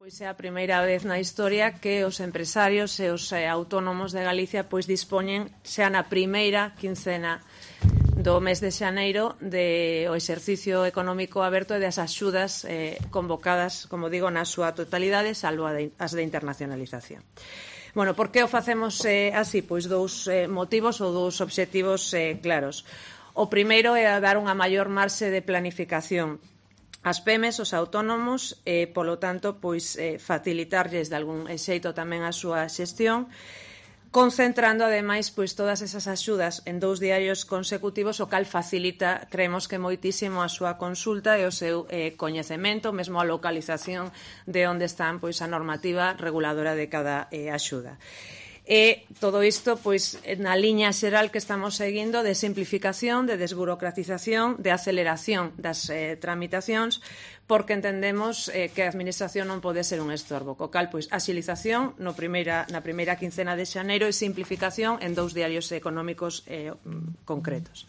Pois é a primeira vez na historia que os empresarios e os autónomos de Galicia pois dispoñen xa na primeira quincena do mes de xaneiro o exercicio económico aberto e das axudas convocadas, como digo, na súa totalidade, salvo as de internacionalización. Bueno, por que o facemos así? Pois dous motivos ou dous obxectivos claros. O primeiro é dar unha maior marxe de planificación ás PEMES, os autónomos, e, polo tanto, pois, facilitarlles de algún xeito tamén a súa xestión, concentrando, ademais, pois, todas esas axudas en 2 diarios consecutivos, o cal facilita, creemos que moitísimo, a súa consulta e o seu coñecemento, mesmo a localización de onde están pois, a normativa reguladora de cada axuda. E todo isto pois, na liña xeral que estamos seguindo de simplificación, de desburocratización, de aceleración das tramitacións, porque entendemos que a Administración non pode ser un estorbo. Co cal, pois, axilización na primeira quincena de xaneiro e simplificación en 2 diarios económicos concretos.